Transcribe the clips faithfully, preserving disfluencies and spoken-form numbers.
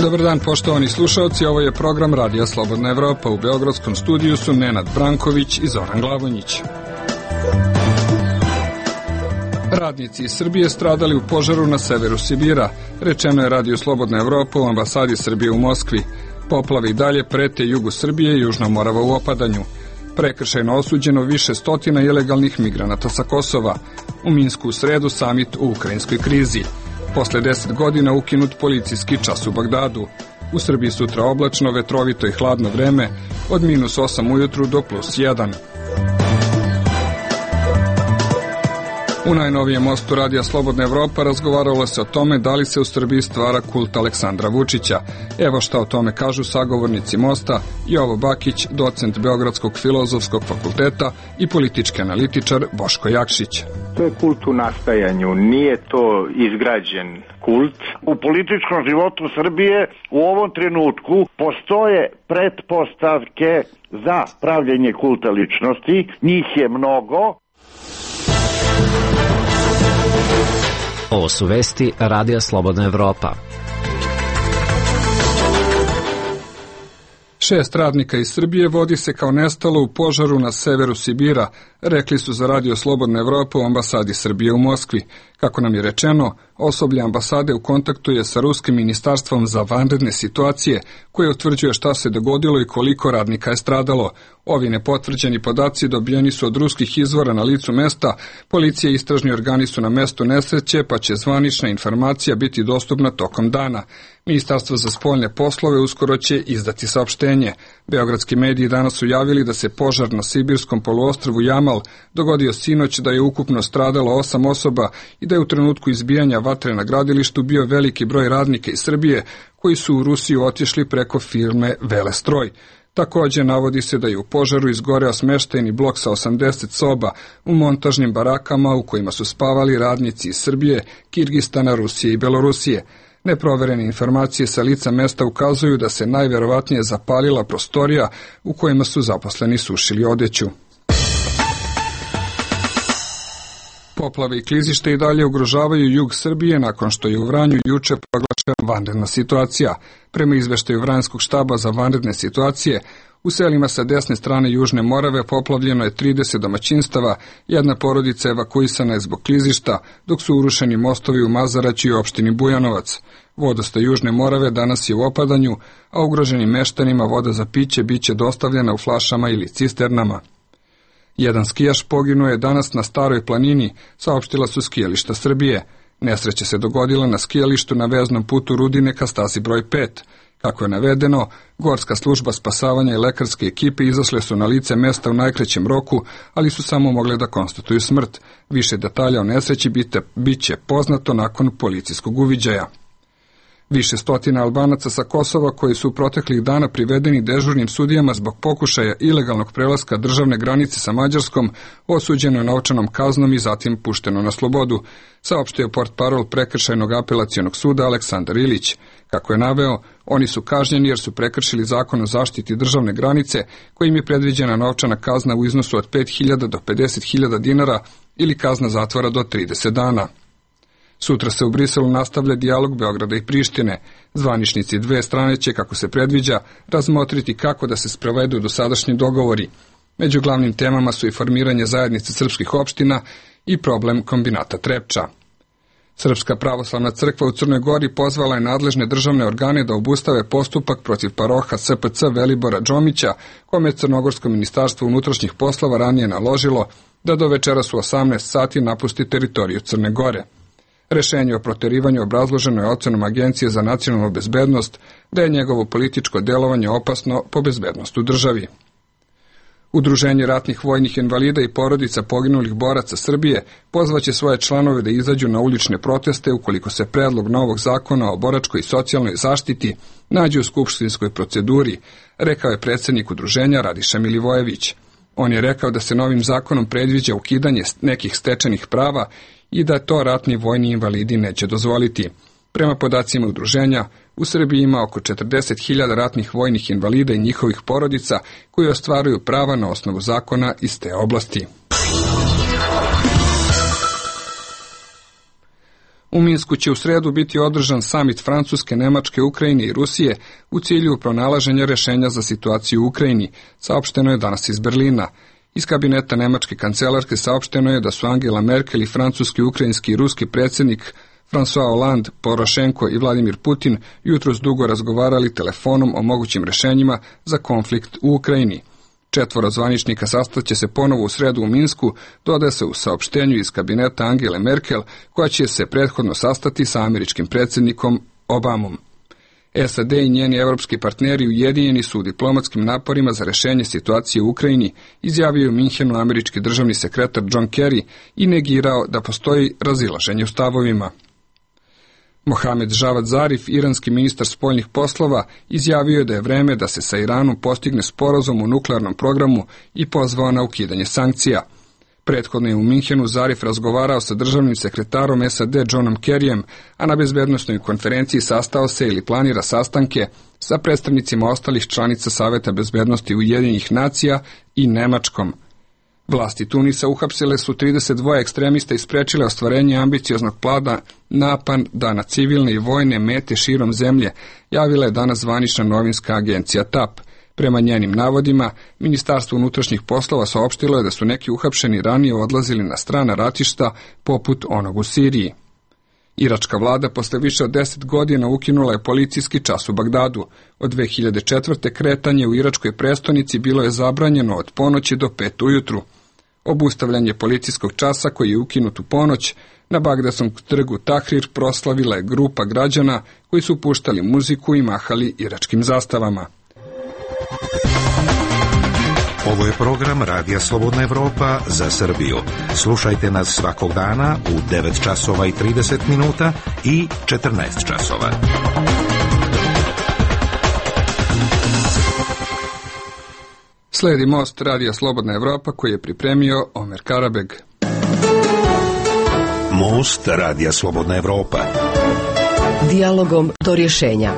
Dobar dan, poštovani slušalci, ovo je program Radija Slobodna Evropa. U beogradskom studiju su Nenad Branković i Zoran Glavonjić. Radnici iz Srbije stradali u požaru na severu Sibira, rečeno je Radio Slobodna Evropa u ambasadi Srbije u Moskvi. Poplave i dalje prete jugu Srbije i Južna Morava u opadanju. Prekršajno osuđeno više stotina ilegalnih migranata sa Kosova. U Minsku u sredu samit u ukrajinskoj krizi. Posle deset godina ukinut policijski čas u Bagdadu. U Srbiji sutra oblačno, vetrovito i hladno vreme, od minus osam ujutru do plus jedan. U najnovijem mostu Radija Slobodna Evropa razgovaralo se o tome da li se u Srbiji stvara kult Aleksandra Vučića. Evo šta o tome kažu sagovornici mosta: Jovo Bakić, docent Beogradskog filozofskog fakulteta, i politički analitičar Boško Jakšić. To je kult u nastajanju, nije to izgrađen kult. U političkom životu Srbije u ovom trenutku postoje pretpostavke za pravljenje kulta ličnosti, njih je mnogo. Ovo su vesti Radija Slobodna Evropa. Šest radnika iz Srbije vodi se kao nestalo u požaru na severu Sibira, rekli su za Radio Slobodna Evropa u ambasadi Srbije u Moskvi. Kako nam je rečeno, osoblje ambasade u kontaktu je sa Ruskim ministarstvom za vanredne situacije, koje utvrđuje šta se dogodilo i koliko radnika je stradalo. Ovi nepotvrđeni podaci dobijeni su od ruskih izvora na licu mesta. Policija i istražni organi su na mestu nesreće, pa će zvanična informacija biti dostupna tokom dana. Ministarstvo za spoljne poslove uskoro će izdati saopštenje. Beogradski mediji danas su javili da se požar na sibirskom poluostrvu Jamal dogodio sinoć, da je ukupno stradalo osam osoba i da je u trenutku izbijanja vatre na gradilištu bio veliki broj radnika iz Srbije koji su u Rusiju otišli preko firme Velestroj. Također navodi se da je u požaru izgoreo smeštajni blok sa osamdeset soba u montažnim barakama u kojima su spavali radnici iz Srbije, Kirgistana, Rusije i Belorusije. Neproverene informacije sa lica mesta ukazuju da se najverovatnije zapalila prostorija u kojima su zaposleni sušili odeću. Poplave i klizište i dalje ugrožavaju jug Srbije nakon što je u Vranju juče proglašena vanredna situacija. Prema izveštaju Vranjskog štaba za vanredne situacije, u selima sa desne strane Južne Morave poplavljeno je trideset domaćinstava, jedna porodica evakuisana je zbog klizišta, dok su urušeni mostovi u Mazaraću i opštini Bujanovac. Vodostaj Južne Morave danas je u opadanju, a ugroženim meštanima voda za piće biće dostavljena u flašama ili cisternama. Jedan skijaš poginuo je danas na Staroj planini, saopštila su skijališta Srbije. Nesreća se dogodila na skijalištu na veznom putu Rudine ka stazi broj pet. Kako je navedeno, Gorska služba spasavanja i lekarske ekipe izašle su na lice mesta u najkraćem roku, ali su samo mogle da konstatuju smrt. Više detalja o nesreći bit će poznato nakon policijskog uviđaja. Više stotina Albanaca sa Kosova koji su proteklih dana privedeni dežurnim sudijama zbog pokušaja ilegalnog prelaska državne granice sa Mađarskom osuđeno je novčanom kaznom i zatim pušteno na slobodu, saopštio portparol Prekršajnog apelacionog suda Aleksandar Ilić. Kako je naveo, oni su kažnjeni jer su prekršili zakon o zaštiti državne granice, kojim je predviđena novčana kazna u iznosu od pet hiljada do pedeset hiljada dinara ili kazna zatvora do trideset dana. Sutra se u Briselu nastavlja dijalog Beograda i Prištine. Zvaničnici dve strane će, kako se predviđa, razmotriti kako da se sprovedu dosadašnji dogovori. Među glavnim temama su i formiranje zajednice srpskih opština i problem kombinata Trepča. Srpska pravoslavna crkva u Crnoj Gori pozvala je nadležne državne organe da obustave postupak protiv paroha S P C Velibora Džomića, kome je Crnogorsko ministarstvo unutrašnjih poslova ranije naložilo da do večeras u osamnaest sati napusti teritoriju Crne Gore. Rešenje o proterivanju obrazloženo je ocenom Agencije za nacionalnu bezbednost da je njegovo političko delovanje opasno po bezbednost u državi. Udruženje ratnih vojnih invalida i porodica poginulih boraca Srbije pozvaće svoje članove da izađu na ulične proteste ukoliko se predlog novog zakona o boračkoj i socijalnoj zaštiti nađe u skupštinskoj proceduri, rekao je predsjednik udruženja Radiša Milivojević. On je rekao da se novim zakonom predviđa ukidanje nekih stečenih prava i da to ratni vojni invalidi neće dozvoliti. Prema podacima udruženja, u Srbiji ima oko četrdeset hiljada ratnih vojnih invalida i njihovih porodica koji ostvaruju prava na osnovu zakona iz te oblasti. U Minsku će u sredu biti održan samit Francuske, Nemačke, Ukrajine i Rusije u cilju pronalaženja rešenja za situaciju u Ukrajini, saopšteno je danas iz Berlina. Iz kabineta nemačke kancelarke saopšteno je da su Angela Merkel i francuski, ukrajinski i ruski predsjednik François Hollande, Porošenko i Vladimir Putin jutros dugo razgovarali telefonom o mogućim rešenjima za konflikt u Ukrajini. Četvoro zvaničnika sastaće se ponovo u sredu u Minsku, dodaje se u saopštenju iz kabineta Angele Merkel, koja će se prethodno sastati sa američkim predsjednikom Obamom. S A D i njeni evropski partneri ujedinjeni su u diplomatskim naporima za rešenje situacije u Ukrajini, izjavio je u Minhenu američki državni sekretar John Kerry i negirao da postoji razilaženje u stavovima. Mohamed Javad Zarif, iranski ministar spoljnih poslova, izjavio je da je vreme da se sa Iranom postigne sporazum u nuklearnom programu i pozvao na ukidanje sankcija. Prethodno je u Minhenu Zarif razgovarao sa državnim sekretarom S A D Johnom Kerryjem, a na bezbednosnoj konferenciji sastao se ili planira sastanke sa predstavnicima ostalih članica Saveta bezbednosti Ujedinjenih nacija i Nemačkom. Vlasti Tunisa uhapsile su trideset dva ekstremista i sprečile ostvarenje ambicioznog plana napada na civilne i vojne mete širom zemlje, javila je danas zvanična novinska agencija T A P. Prema njenim navodima, Ministarstvo unutrašnjih poslova saopštilo je da su neki uhapšeni ranije odlazili na strana ratišta poput onog u Siriji. Iračka vlada posle više od deset godina ukinula je policijski čas u Bagdadu. Od dve hiljade četvrte kretanje u iračkoj prestonici bilo je zabranjeno od ponoći do pet ujutru. Obustavljanje policijskog časa koji je ukinut u ponoć na Bagdadskom trgu Tahrir proslavila je grupa građana koji su puštali muziku i mahali iračkim zastavama. Ovo je program Radija Slobodna Evropa za Srbiju. Slušajte nas svakog dana u devet časova i trideset minuta i četrnaest časova. Sledi Most Radija Slobodna Evropa koji je pripremio Omer Karabeg. Most Radija Slobodna Evropa. Dijalogom do rješenja.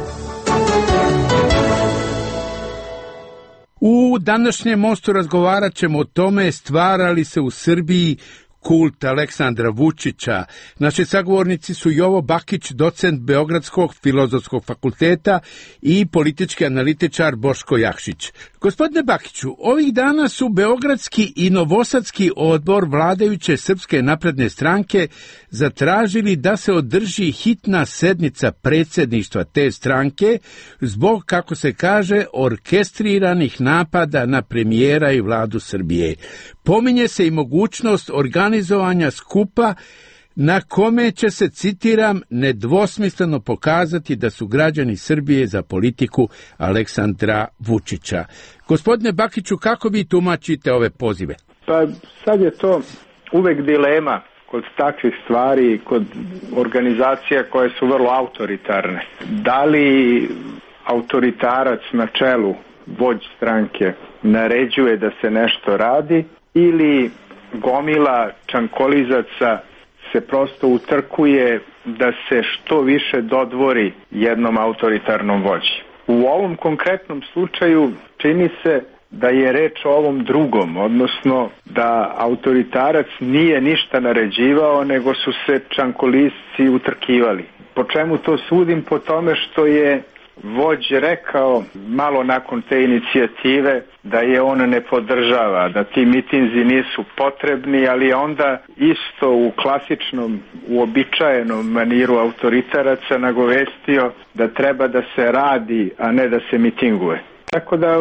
U današnjem Mostu razgovarat ćemo o tome stvara li se u Srbiji kult Aleksandra Vučića. Naši sagovornici su Jovo Bakić, docent Beogradskog filozofskog fakulteta i politički analitičar Boško Jakšić. Gospodine Bakiću, ovih dana su Beogradski i Novosadski odbor vladajuće Srpske napredne stranke zatražili da se održi hitna sednica predsjedništva te stranke zbog, kako se kaže, orkestriranih napada na premijera i vladu Srbije. Pominje se i mogućnost organizovanja skupa na kome će se, citiram, nedvosmisleno pokazati da su građani Srbije za politiku Aleksandra Vučića. Gospodine Bakiću, kako vi tumačite ove pozive? Pa sad je to uvek dilema kod takvih stvari, kod organizacija koje su vrlo autoritarne. Da li autoritarac na čelu, vođ stranke, naređuje da se nešto radi ili gomila čankolizaca se prosto utrkuje da se što više dodvori jednom autoritarnom vođi. U ovom konkretnom slučaju čini se da je reč o ovom drugom, odnosno da autoritarac nije ništa naređivao, nego su se čankolisci utrkivali. Po čemu to sudim? Po tome što je vođ rekao malo nakon te inicijative da je on ne podržava, da ti mitinzi nisu potrebni, ali onda isto u klasičnom, uobičajenom maniru autoritaraca nagovestio da treba da se radi, a ne da se mitinguje. Tako da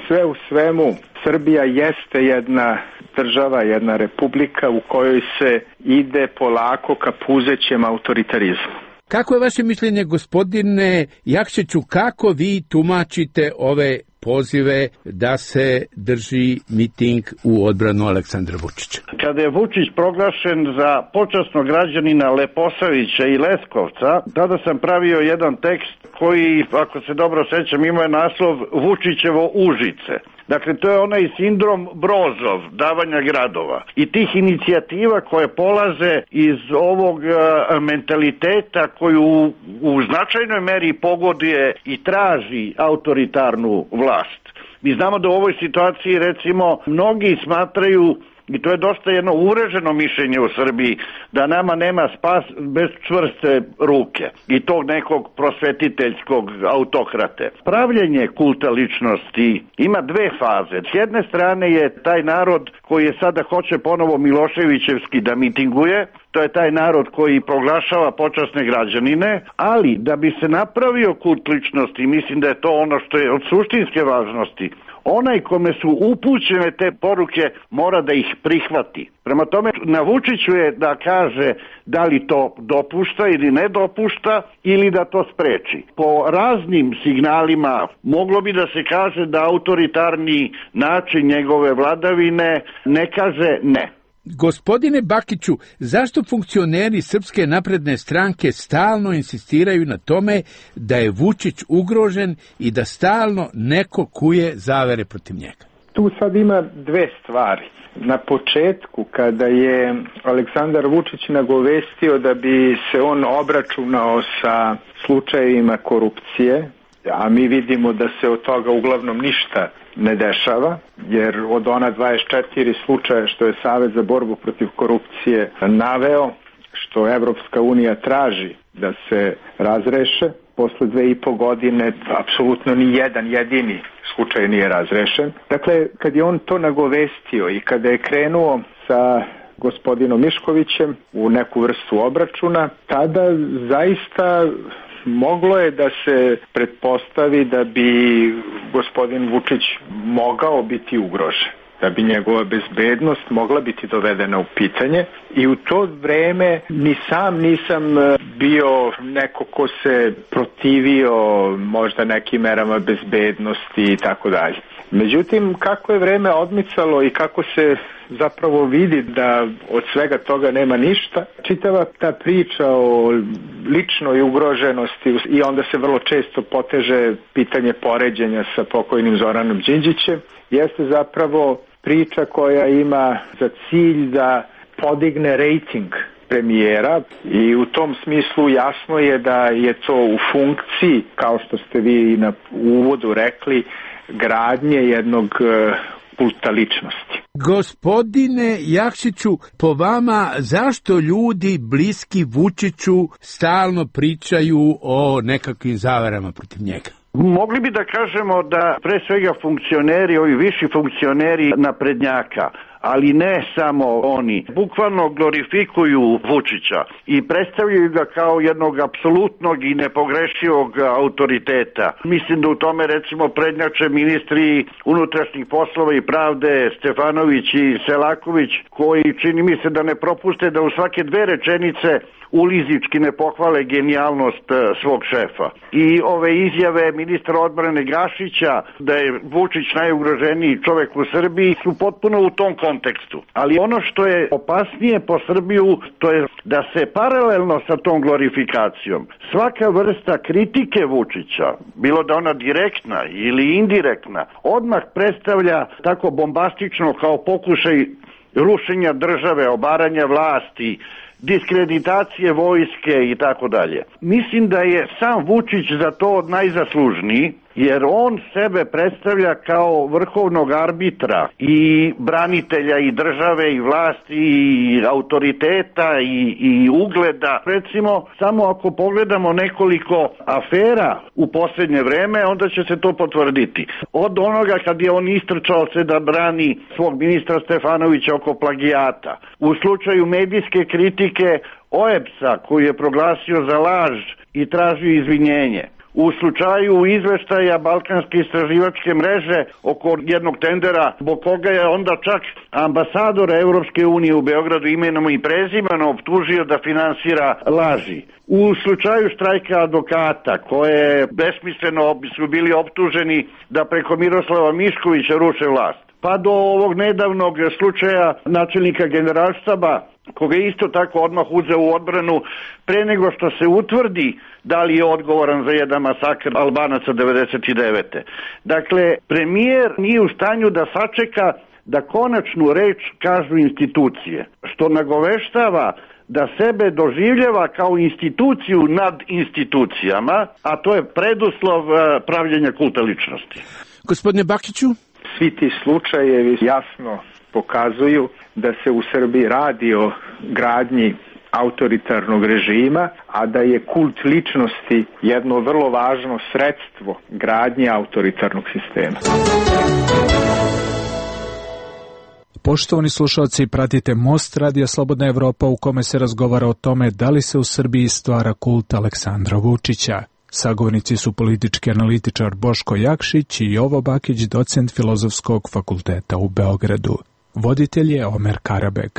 sve u svemu Srbija jeste jedna država, jedna republika u kojoj se ide polako ka puzećem autoritarizmu. Kako je vaše mišljenje, gospodine Jakšiću, kako vi tumačite ove pozive da se drži miting u odbranu Aleksandra Vučića? Kada je Vučić proglašen za počasnog građanina Leposavića i Leskovca, tada sam pravio jedan tekst koji, ako se dobro sećam, ima naslov Vučićevo Užice. Dakle, to je onaj sindrom Brozov, davanja gradova. I tih inicijativa koje polaze iz ovog a, mentaliteta koju u, u značajnoj meri pogoduje i traži autoritarnu vlast. Mi znamo da u ovoj situaciji, recimo, mnogi smatraju I to je dosta jedno uvreženo mišljenje u Srbiji, da nama nema spas bez čvrste ruke i tog nekog prosvetiteljskog autokrate. Pravljenje kulta ličnosti ima dve faze. S jedne strane je taj narod koji je sada hoće ponovo Miloševićevski da mitinguje, to je taj narod koji proglašava počasne građanine, ali da bi se napravio kult ličnosti, mislim da je to ono što je od suštinske važnosti, onaj kome su upućene te poruke mora da ih prihvati. Prema tome, na Vučiću je da kaže da li to dopušta ili ne dopušta ili da to spreči. Po raznim signalima moglo bi da se kaže da autoritarni način njegove vladavine ne kaže ne. Gospodine Bakiću, zašto funkcioneri Srpske napredne stranke stalno insistiraju na tome da je Vučić ugrožen i da stalno neko kuje zavere protiv njega? Tu sad ima dve stvari. Na početku, kada je Aleksandar Vučić nagovestio da bi se on obračunao sa slučajevima korupcije, a mi vidimo da se od toga uglavnom ništa ne dešava, jer od ona dvadeset četiri slučaja što je Savet za borbu protiv korupcije naveo, što Evropska unija traži da se razreše, posle dve i po godine apsolutno ni jedan jedini slučaj nije razrešen. Dakle, kad je on to nagovestio i kada je krenuo sa gospodinom Miškovićem u neku vrstu obračuna, tada zaista moglo je da se pretpostavi da bi gospodin Vučić mogao biti ugrožen, da bi njegova bezbednost mogla biti dovedena u pitanje, i u to vreme ni sam nisam bio neko ko se protivio možda nekim merama bezbednosti i tako dalje. Međutim, kako je vreme odmicalo i kako se zapravo vidi da od svega toga nema ništa, čitava ta priča o ličnoj ugroženosti i onda se vrlo često poteže pitanje poređenja sa pokojnim Zoranom Đinđićem, jeste zapravo priča koja ima za cilj da podigne rejting premijera, i u tom smislu jasno je da je to u funkciji, kao što ste vi na uvodu rekli, gradnje jednog kulta ličnosti. Gospodine Jakšiću, po vama zašto ljudi bliski Vučiću stalno pričaju o nekakvim zaverama protiv njega? Mogli bi da kažemo da pre svega funkcioneri, ovi viši funkcioneri naprednjaka, ali ne samo oni, bukvalno glorifikuju Vučića i predstavljaju ga kao jednog apsolutnog i nepogrešivog autoriteta. Mislim da u tome recimo prednjače ministri unutrašnjih poslova i pravde Stefanović i Selaković, koji čini mi se da ne propuste da u svake dve rečenice ulizički ne pohvale genijalnost svog šefa. I ove izjave ministra odbrane Gašića da je Vučić najugroženiji čovek u Srbiji su potpuno u tom kontekstu. Ali ono što je opasnije po Srbiju, to je da se paralelno sa tom glorifikacijom svaka vrsta kritike Vučića, bilo da ona direktna ili indirektna, odmah predstavlja tako bombastično kao pokušaj rušenja države, obaranja vlasti, diskreditacije vojske i tako dalje. Mislim da je sam Vučić za to najzaslužniji, jer on sebe predstavlja kao vrhovnog arbitra i branitelja i države i vlasti i autoriteta i, i ugleda. Recimo, samo ako pogledamo nekoliko afera u posljednje vreme, onda će se to potvrditi. Od onoga kad je on istrčao se da brani svog ministra Stefanovića oko plagijata. U slučaju medijske kritike O E B S-a koji je proglasio za laž i tražio izvinjenje. U slučaju izveštaja Balkanske istraživačke mreže oko jednog tendera, zbog koga je onda čak ambasadora Evropske unije u Beogradu imenom i prezimenom optužio da finansira laži. U slučaju štrajka advokata, koje besmisleno su bili optuženi da preko Miroslava Miškovića ruše vlast, pa do ovog nedavnog slučaja načelnika Generalštaba, koga je isto tako odmah uzeo u odbranu pre nego što se utvrdi da li je odgovoran za jedan masakr Albanaca devedeset devete. Dakle, premijer nije u stanju da sačeka da konačnu reč kažu institucije, što nagoveštava da sebe doživljava kao instituciju nad institucijama, a to je preduslov pravljenja kulta ličnosti. Gospodine Bakiću? Svi ti slučajevi jasno pokazuju da se u Srbiji radi o gradnji autoritarnog režima, a da je kult ličnosti jedno vrlo važno sredstvo gradnje autoritarnog sistema. Poštovani slušalci, pratite Most Radija Slobodna Evropa u kome se razgovara o tome da li se u Srbiji stvara kult Aleksandra Vučića. Sagovornici su politički analitičar Boško Jakšić i Jovo Bakić, docent Filozofskog fakulteta u Beogradu. Voditelj je Omer Karabeg.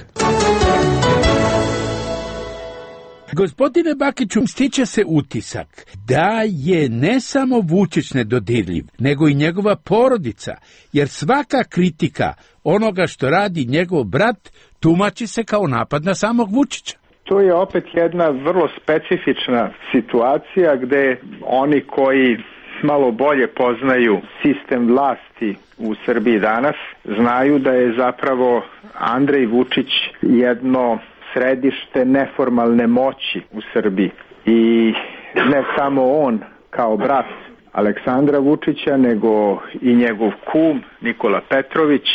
Gospodine Bakiću, stiče se utisak da je ne samo Vučić nedodirljiv, nego i njegova porodica, jer svaka kritika onoga što radi njegov brat tumači se kao napad na samog Vučića. To je opet jedna vrlo specifična situacija gde oni koji malo bolje poznaju sistem vlasti u Srbiji danas znaju da je zapravo Andrej Vučić jedno središte neformalne moći u Srbiji i ne samo on kao brat Aleksandra Vučića, nego i njegov kum Nikola Petrović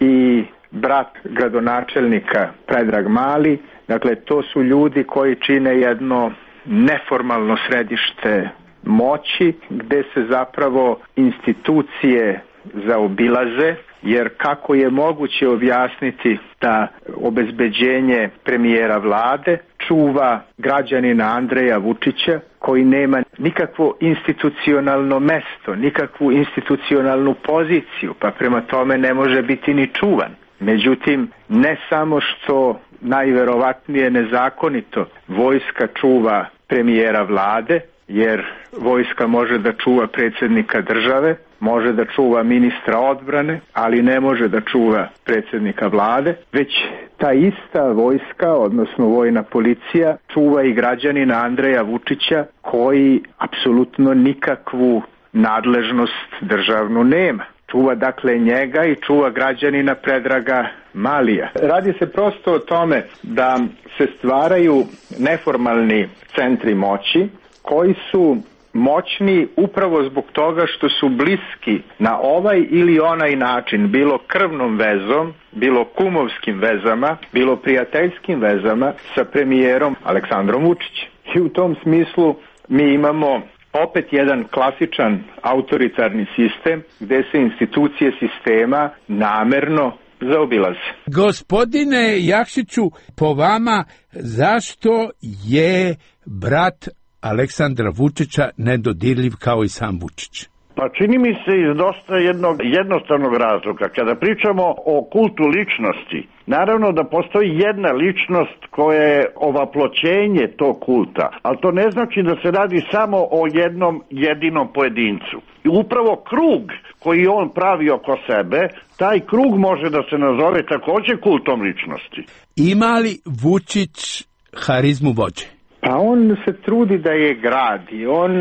i brat gradonačelnika Predrag Mali. Dakle, to su ljudi koji čine jedno neformalno središte moći gde se zapravo institucije zaobilaze, jer kako je moguće objasniti da obezbeđenje premijera vlade čuva građanina Andreja Vučića koji nema nikakvo institucionalno mesto, nikakvu institucionalnu poziciju, pa prema tome ne može biti ni čuvan. Međutim, ne samo što najverovatnije nezakonito vojska čuva premijera vlade, jer vojska može da čuva predsjednika države, može da čuva ministra odbrane, ali ne može da čuva predsjednika vlade, već ta ista vojska, odnosno vojna policija, čuva i građanina Andreja Vučića koji apsolutno nikakvu nadležnost državnu nema. Čuva dakle njega i čuva građanina Predraga Malija. Radi se prosto o tome da se stvaraju neformalni centri moći koji su moćni upravo zbog toga što su bliski na ovaj ili onaj način, bilo krvnom vezom, bilo kumovskim vezama, bilo prijateljskim vezama sa premijerom Aleksandrom Vučićem. I u tom smislu mi imamo opet jedan klasičan autoritarni sistem gde se institucije sistema namerno zaobilaze. Gospodine Jakšiću, po vama, zašto je brat Aleksandra Vučića nedodirljiv kao i sam Vučić? Pa čini mi se iz dosta jednog jednostavnog razloga. Kada pričamo o kultu ličnosti, naravno da postoji jedna ličnost koja je ovaploćenje tog kulta, ali to ne znači da se radi samo o jednom jedinom pojedincu. I upravo krug koji on pravi oko sebe, taj krug može da se nazove također kultom ličnosti. Ima li Vučić harizmu vođe? Pa on se trudi da je gradi. On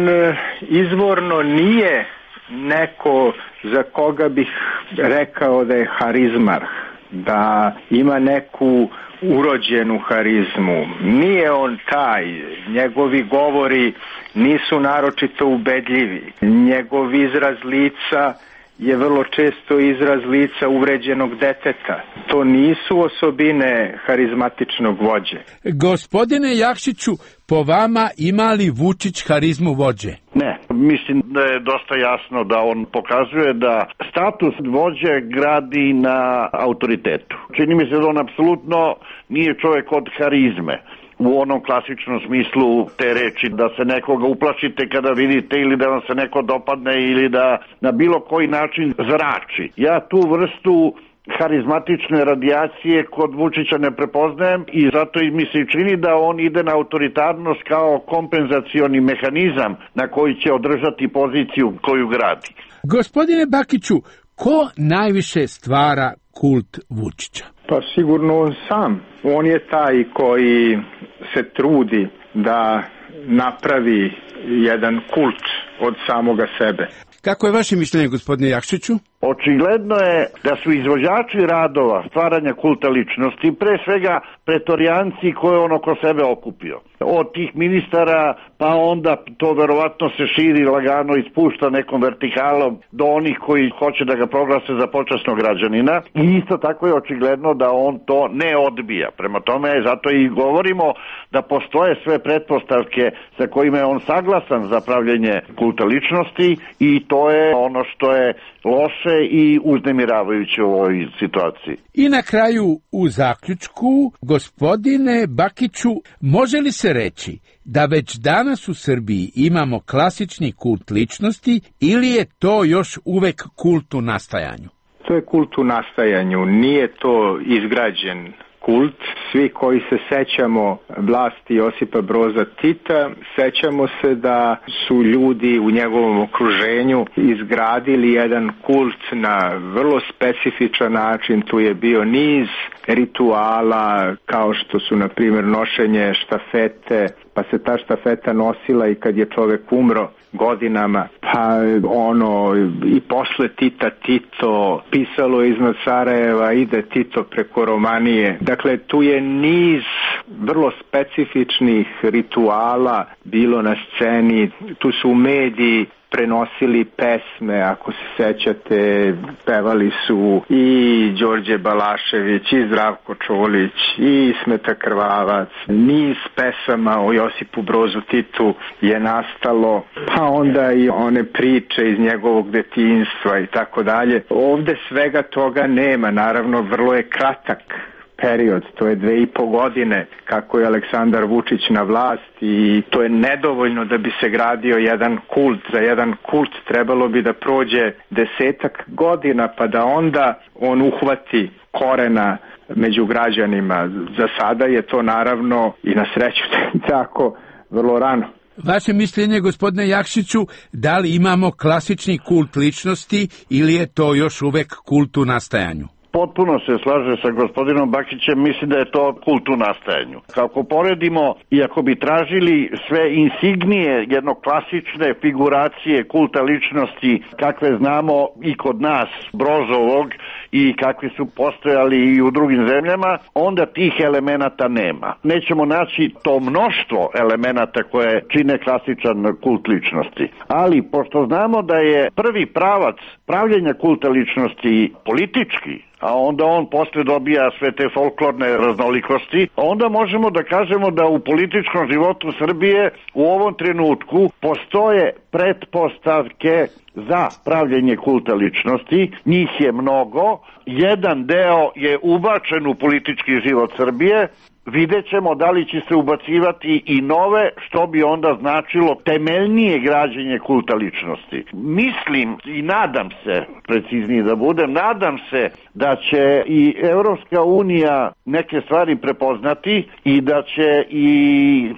izvorno nije neko za koga bih rekao da je harizmarh, da ima neku urođenu harizmu. Nije on taj. Njegovi govori nisu naročito ubedljivi. Njegov izraz lica je vrlo često izraz lica uvređenog deteta. To nisu osobine harizmatičnog vođe. Gospodine Jakšiću, po vama ima li Vučić harizmu vođe? Ne, mislim da je dosta jasno da on pokazuje da status vođe gradi na autoritetu. Čini mi se da on apsolutno nije čovjek od harizme. U onom klasičnom smislu te reči da se nekoga uplašite kada vidite ili da vam se neko dopadne ili da na bilo koji način zrači. Ja tu vrstu harizmatične radijacije kod Vučića ne prepoznajem i zato mi se čini da on ide na autoritarnost kao kompenzacioni mehanizam na koji će održati poziciju koju gradi. Gospodine Bakiću, ko najviše stvara kult Vučića? Pa sigurno on sam. On je taj koji se trudi da napravi jedan kult od samoga sebe. Kako je vaše mišljenje, gospodine Jakšiću? Očigledno je da su izvođači radova stvaranja kulta ličnosti pre svega pretorijanci koje on oko sebe okupio. od tih ministara, pa onda to verovatno se širi lagano i spušta nekom vertikalom do onih koji hoće da ga proglase za počasnog građanina i isto tako je očigledno da on to ne odbija. Prema tome, zato i govorimo da postoje sve pretpostavke sa kojima je on saglasan za pravljenje kulta ličnosti i to je ono što je loše i uznemiravajuće u ovoj situaciji. I na kraju, u zaključku, gospodine Bakiću, može li se reći da već danas u Srbiji imamo klasični kult ličnosti ili je to još uvek kult u nastajanju? To je kult u nastajanju, nije to izgrađen kult. Svi koji se sećamo vlasti Josipa Broza Tita, sećamo se da su ljudi u njegovom okruženju izgradili jedan kult na vrlo specifičan način. Tu je bio niz rituala kao što su na primjer nošenje štafete, pa se ta štafeta nosila i kad je čovek umro godinama, pa ono i posle Tita Tito, pisalo iznad Sarajeva ide Tito preko Romanije. Dakle, tu je niz vrlo specifičnih rituala bilo na sceni, tu su mediji prenosili pesme, ako se sećate, pevali su i Đorđe Balašević, i Zdravko Čolić, i Smeta Krvavac. Niz pesama o Josipu Brozu Titu je nastalo, pa onda i one priče iz njegovog detinjstva i tako dalje. Ovde svega toga nema, naravno vrlo je kratak period, to je dve i po godine kako je Aleksandar Vučić na vlast i to je nedovoljno da bi se gradio jedan kult. Za jedan kult trebalo bi da prođe desetak godina pa da onda on uhvati korena među građanima. Za sada je to naravno i na sreću tako vrlo rano. Vaše mišljenje, gospodine Jakšiću, da li imamo klasični kult ličnosti ili je to još uvek kult u nastajanju? Potpuno se slaže sa gospodinom Bakićem, mislim da je to kult u nastajanju. Kako poredimo, i ako bi tražili sve insignije jedno klasične figuracije kulta ličnosti kakve znamo i kod nas, Brozovog, i kakvi su postojali i u drugim zemljama, onda tih elemenata nema. Nećemo naći to mnoštvo elemenata koje čine klasičan kult ličnosti. Ali, pošto znamo da je prvi pravac pravljenja kulta ličnosti politički, a onda on posle dobija sve te folklorne raznolikosti, onda možemo da kažemo da u političkom životu Srbije u ovom trenutku postoje pretpostavke za pravljenje kulta ličnosti. Njih je mnogo, jedan deo je ubačen u politički život Srbije, vidjet ćemo da li će se ubacivati i nove, što bi onda značilo temeljnije građenje kulta ličnosti. Mislim i nadam se, preciznije da budem, nadam se da će i Evropska unija neke stvari prepoznati i da će i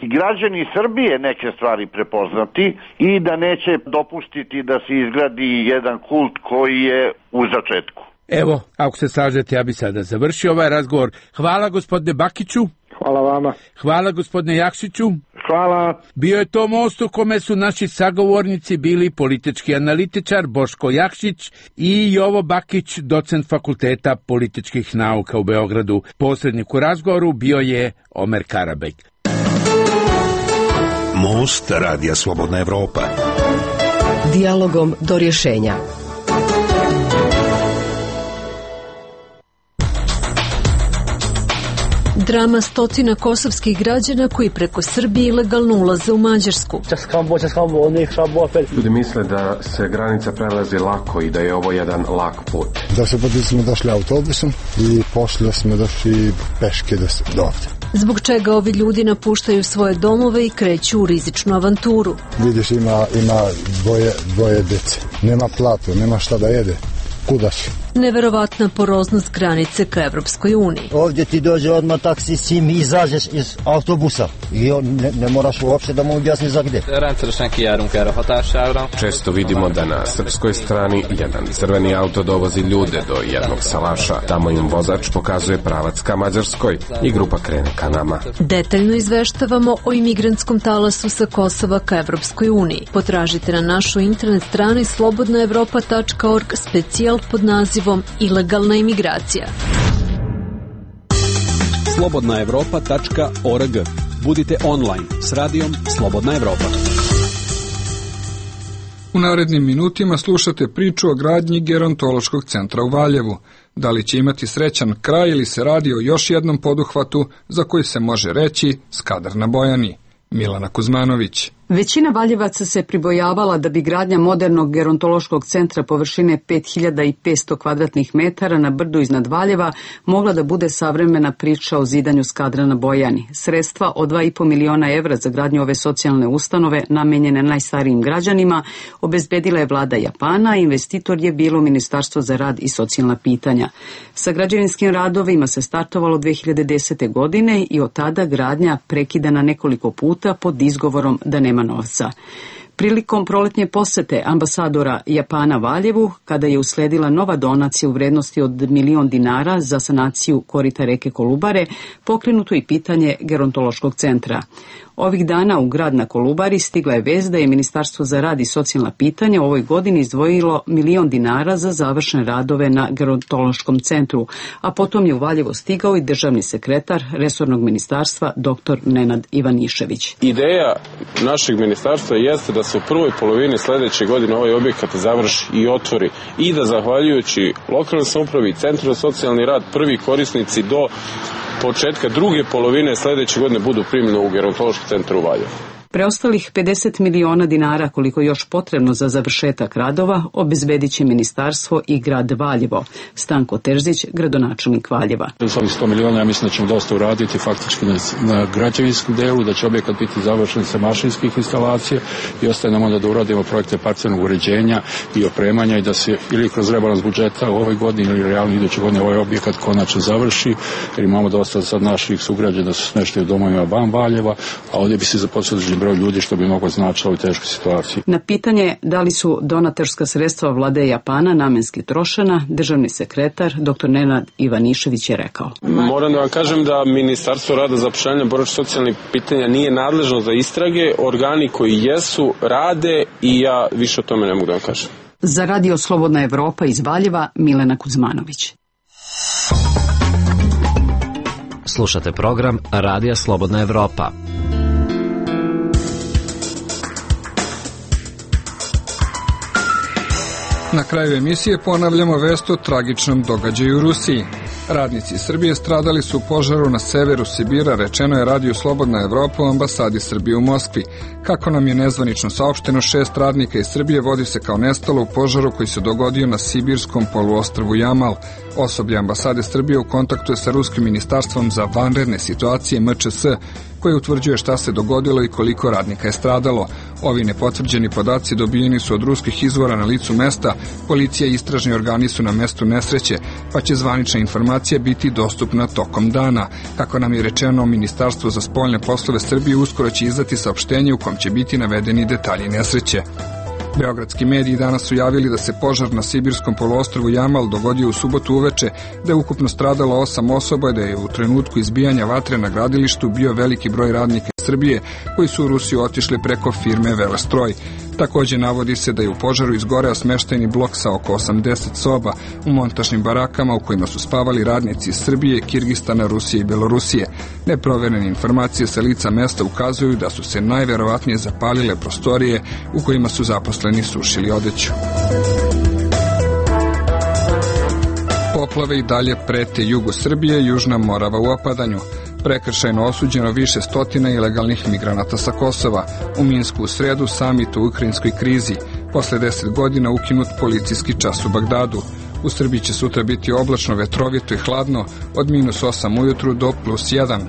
građani Srbije neke stvari prepoznati i da neće dopustiti da se izgradi jedan kult koji je u začetku. Evo, ako se slažete, ja bi sada završio ovaj razgovor. Hvala gospodine Bakiću. Hvala vama. Hvala gospodine Jakšiću. Hvala. Bio je to most u kome su naši sagovornici bili politički analitičar Boško Jakšić i Jovo Bakić, docent Fakulteta političkih nauka u Beogradu. Posrednik u razgovoru bio je Omer Karabek. Most Radija Slobodna Evropa. Dijalogom do rješenja. Drama stotina kosovskih građana koji preko Srbije ilegalno ulaze u Mađarsku. Ljudi misle da se granica prelazi lako i da je ovo jedan lak put. Da se poti smo došli autobusom i poslije smo došli peške do ovdje. Zbog čega ovi ljudi napuštaju svoje domove i kreću u rizičnu avanturu. Vidiš, ima, ima dvoje, dvoje djece. Nema platu, nema šta da jede. Kuda si? Neverovatna poroznost granice ka Evropskoj uniji. Ovdje ti dođe odmah taksi, sim i izađeš iz autobusa i on ne, ne moraš uopšte da mu objasni za gde. Često vidimo da na srpskoj strani jedan crveni auto dovozi ljude do jednog salaša. Tamo im vozač pokazuje pravac ka Mađarskoj i grupa krene ka nama. Detaljno izveštavamo o imigrantskom talasu sa Kosova ka Evropskoj uniji. Potražite na našoj internet strani slobodna evropa tačka org specijal pod nazivom Ilegalna imigracija. slobodna evropa tačka org. Budite online s radijom Slobodna Evropa. U narednim minutima slušate priču o gradnji gerontološkog centra u Valjevu. Da li će imati srećan kraj ili se radi o još jednom poduhvatu za koji se može reći Skadar na Bojani? Milana Kuzmanović. Većina Valjevaca se pribojavala da bi gradnja modernog gerontološkog centra površine pet hiljada petsto kvadratnih metara na brdu iznad Valjeva mogla da bude savremena priča o zidanju Skadra na Bojani. Sredstva od dva i po miliona evra za gradnju ove socijalne ustanove namenjene najstarijim građanima obezbedila je vlada Japana, a investitor je bilo Ministarstvo za rad i socijalna pitanja. Sa građevinskim radovima se startovalo dve hiljade desete. godine i od tada gradnja prekidana nekoliko puta pod izgovorom da nema novca. Prilikom proletnje posete ambasadora Japana Valjevu, kada je usledila nova donacija u vrednosti od milion dinara za sanaciju korita reke Kolubare, pokrenuto i pitanje gerontološkog centra. Ovih dana u grad na Kolubari stigla je vest da je Ministarstvo za rad i socijalna pitanja u ovoj godini izdvojilo milion dinara za završne radove na gerontološkom centru, a potom je u Valjevo stigao i državni sekretar resornog ministarstva doktor Nenad Ivanišević. Ideja našeg ministarstva jeste da se u prvoj polovini sledeće godine ovaj objekat završi i otvori i da zahvaljujući lokalnoj samoupravi i centru za socijalni rad prvi korisnici do početka druge polovine sledeće godine budu primljeni u gerontološki centar u Valjevu. Preostalih pedeset miliona dinara, koliko je još potrebno za završetak radova, obezbedit će ministarstvo i grad Valjevo. Stanko Terzić, gradonačelnik Valjeva. Za ovih sto miliona ja mislim da ćemo dosta uraditi faktički na, na građevinskom delu, da će objekat biti završen sa mašinskih instalacija i ostaje nam onda da uradimo projekte parcelnog uređenja i opremanja i da se ili kroz rebalans budžeta u ovoj godini ili realno iduće godine ovaj objekat konačno završi, jer imamo dosta sad naših sugrađana da su smešteni u domovima van Valjeva, a ovdje bi se zaposlili broj ljudi što bi moglo značiti u ovoj teškoj situaciji. Na pitanje da li su donatorska sredstva vlade Japana namenski trošena, državni sekretar doktor Nenad Ivanišević je rekao. Moram da vam kažem da Ministarstvo rada, zapošljavanja, boračkih socijalnih pitanja nije nadležno za istrage, organi koji jesu rade i ja više o tome ne mogu da vam kažem. Za radio Slobodna Evropa iz Valjeva, Milena Kuzmanović. Slušate program Radija Slobodna Evropa. Na kraju emisije ponavljamo vest o tragičnom događaju u Rusiji. Radnici Srbije stradali su u požaru na severu Sibira, rečeno je radiju Slobodna Evropa u ambasadi Srbije u Moskvi. Kako nam je nezvanično saopšteno, šest radnika iz Srbije vodi se kao nestalo u požaru koji se dogodio na sibirskom poluostrvu Jamal. Osoblje ambasade Srbije u kontaktu je sa Ruskim ministarstvom za vanredne situacije M Č S, koje utvrđuje šta se dogodilo i koliko radnika je stradalo. Ovi nepotvrđeni podaci dobijeni su od ruskih izvora na licu mesta, policija i istražni organi su na mestu nesreće, pa će zvanična informacija biti dostupna tokom dana. Kako nam je rečeno, Ministarstvo za spoljne poslove Srbije uskoro će izdati saopštenje u kom će biti navedeni detalji nesreće. Beogradski mediji danas su javili da se požar na sibirskom poluostrvu Jamal dogodio u subotu uveče, da je ukupno stradalo osam osoba i da je u trenutku izbijanja vatre na gradilištu bio veliki broj radnika iz Srbije koji su u Rusiju otišli preko firme Velestroj. Takođe navodi se da je u požaru izgoreo smeštajni blok sa oko osamdeset soba u montažnim barakama u kojima su spavali radnici iz Srbije, Kirgistana, Rusije i Belorusije. Neproverene informacije sa lica mesta ukazuju da su se najverovatnije zapalile prostorije u kojima su zaposleni sušili odeću. Poplave i dalje prete jugu Srbije, Južna Morava u opadanju. Prekršajno osuđeno više stotina ilegalnih migranata sa Kosova. U Minsku u sredu samit o ukrajinskoj krizi. Posle deset godina ukinut policijski čas u Bagdadu. U Srbiji će sutra biti oblačno, vetrovito i hladno, od minus osam ujutru do plus jedan.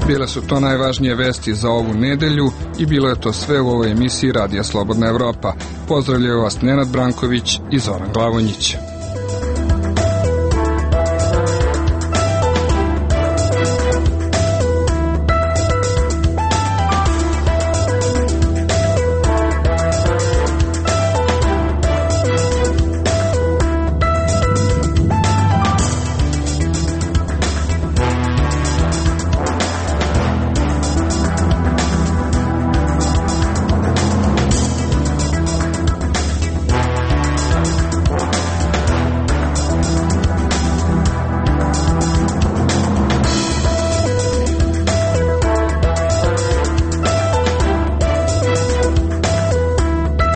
Bile su to najvažnije vesti za ovu nedelju i bilo je to sve u ovoj emisiji Radija Slobodna Evropa. Pozdravljaju vas Nenad Branković i Zoran Glavonjić.